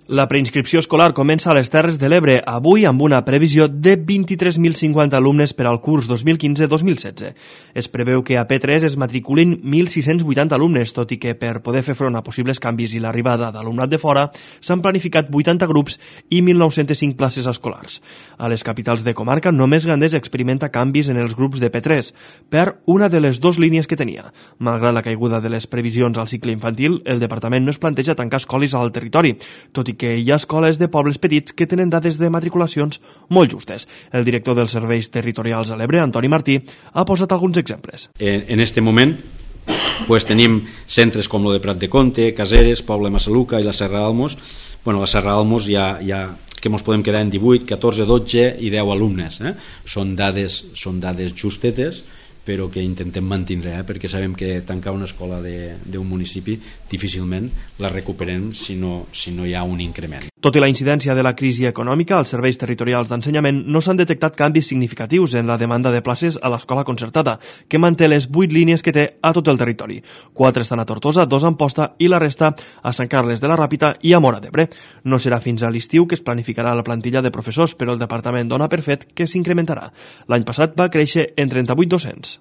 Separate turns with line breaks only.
La preinscripció escolar comença a les Terres de l'Ebre avui amb una previsió de 23.050 alumnes per al curs 2015-2016. Es preveu que a P3 es matriculin 1.680 alumnes, tot i que per poder fer front a possibles canvis i l'arribada d'alumnat de fora s'han planificat 80 grups i 1.905 places escolars. A les capitals de comarca només Gandés experimenta canvis en els grups de P3 per una de les dues línies que tenia. Malgrat la caiguda de les previsions al cicle infantil, el departament no es planteja tancar escoles al territori, tot i que hi ha escoles de pobles petits que tenen dades de matriculacions molt justes. El director dels serveis territorials a l'Ebre, Antoni Martí, ha posat alguns exemples.
En este moment tenim centres com el de Prat de Comte, Caseres, Poble Massaluca i la Serra d'Almos. La Serra d'Almos ja que ens podem quedar en 18, 14, 12 i 10 alumnes. Són dades justetes, però que intentem mantenir, perquè sabem que tancar una escola d'un municipi difícilment la recuperem si no hi ha un increment.
Tot i la incidència de la crisi econòmica, als serveis territorials d'ensenyament no s'han detectat canvis significatius en la demanda de places a l'escola concertada, que manté les 8 línies que té a tot el territori. 4 estan a Tortosa, 2 a Amposta i la resta a Sant Carles de la Ràpita i a Móra d'Ebre. No serà fins a l'estiu que es planificarà la plantilla de professors, però el departament dona per fet que s'incrementarà. L'any passat va créixer en 38 docents.